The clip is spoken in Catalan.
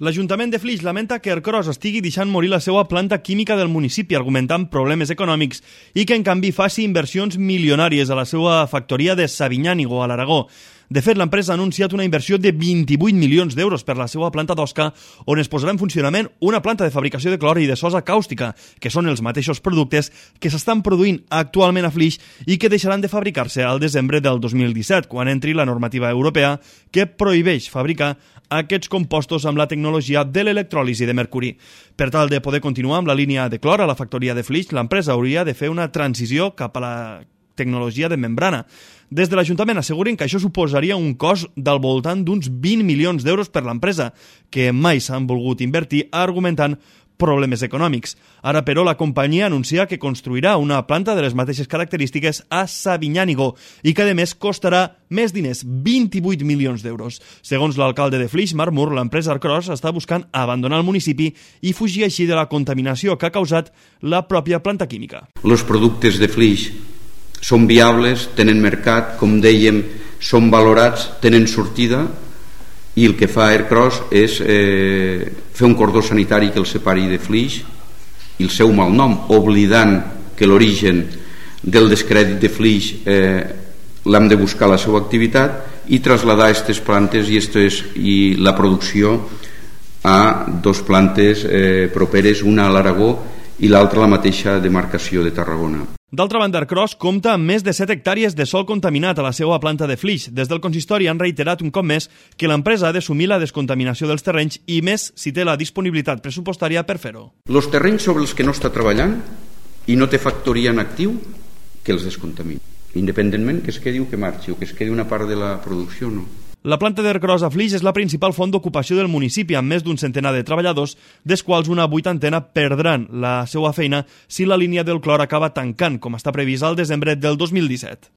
L'Ajuntament de Flix lamenta que Ercros estigui deixant morir la seva planta química del municipi, argumentant problemes econòmics i que, en canvi, faci inversions milionàries a la seva factoria de Sabinyànigo, a l'Aragó. De fet, l'empresa ha anunciat una inversió de 28 milions d'euros per la seva planta d'Osca, on es posarà en funcionament una planta de fabricació de clor i de sosa càustica, que són els mateixos productes que s'estan produint actualment a Flix i que deixaran de fabricar-se al desembre del 2017, quan entri la normativa europea que prohibeix fabricar aquests compostos amb la tecnologia de l'electròlisi de mercuri. Per tal de poder continuar amb la línia de clor a la factoria de Flix, l'empresa hauria de fer una transició cap a la tecnologia de membrana. Des de l'Ajuntament asseguren que això suposaria un cost del voltant d'uns 20 milions d'euros per l'empresa, que mai s'han volgut invertir argumentant problemes econòmics. Ara, però, la companyia anuncia que construirà una planta de les mateixes característiques a Sabinyànigo i que, a més, costarà més diners, 28 milions d'euros. Segons l'alcalde de Flix, Marc Mur, l'empresa Ercros està buscant abandonar el municipi i fugir així de la contaminació que ha causat la pròpia planta química. Els productes de Flix són viables, tenen mercat, com dèiem, són valorats, tenen sortida, i el que fa Ercros és fer un cordó sanitari que el separi de Flix i el seu malnom, oblidant que l'origen del descrèdit de Flix l'hem de buscar la seva activitat i traslladar aquestes plantes i la producció a dues plantes properes, una a l'Aragó i l'altra a la mateixa demarcació de Tarragona. D'altra banda, Ercros compta amb més de 7 hectàrees de sòl contaminat a la seva planta de Flix. Des del consistori han reiterat un cop més que l'empresa ha d'assumir la descontaminació dels terrenys i més si té la disponibilitat pressupostària per fer-ho. Els terrenys sobre els que no està treballant i no té factoria en actiu, que els descontamini. Independentment que es quedi o que marxi o que es quedi una part de la producció, no. La planta d'Ercros a Flix és la principal font d'ocupació del municipi, amb més d'un centenar de treballadors, dels quals una vuitantena perdran la seva feina si la línia del clor acaba tancant, com està previst al desembre del 2017.